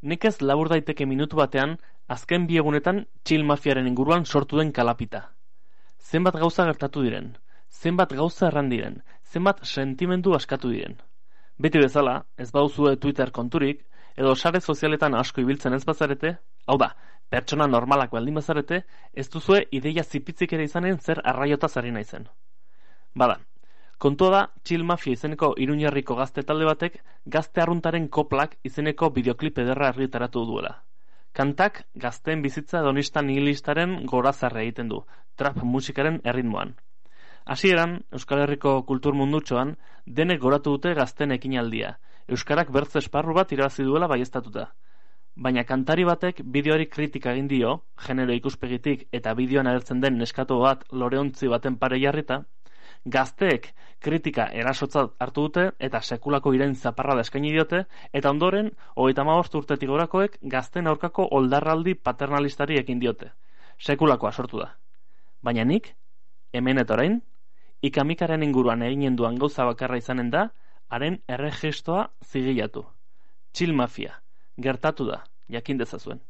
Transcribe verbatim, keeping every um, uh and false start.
Nekez labur daiteke minutu batean, azken bi egunetan txil mafiaren inguruan sortu den kalapita. Zenbat gauza gertatu diren, zenbat gauza erran diren, zenbat sentimendu askatu diren. Beti bezala, ez bauzue Twitter konturik, edo sare sozialetan asko ibiltzen ez bazarete, hau da, pertsona normalak baldin bazarete, ez duzue ideia zipitzik ere izanen zer arraiotaz ari naizen. Bada, kontua da, Txil Mafia izeneko Iruñerriko gazte talde batek Gazte Arruntaren Koplak izeneko bideoklip ederra argitaratu duela. Kantak gazteen bizitza hedonista nihilistaren gorazarre egiten du, trap musikaren erritmoan. Hasieran, Euskal Herriko kultur mundutxoan, denek goratu dute gazten ekinaldia, euskarak bertze esparru bat irabazi duela baieztatuta. Baina kantari batek bideoari kritika egin dio, genero ikuspegitik eta bideoan agertzen den neskato bat loreontzi baten pare jarrita, gazteek kritika erasotzat hartu dute eta sekulako irain zaparrada eskaini diote, eta ondoren, hogeita hamabost urtetik gorakoek gazten aurkako oldarraldi paternalistari ekin diote. Sekulakoa sortu da. Baina nik, hemen eta orain, ikamikaren inguruan eginen duan gauza bakarra izanen da, haren erregistroa zigilatu. Txil Mafia, gertatu da, jakin dezazuen.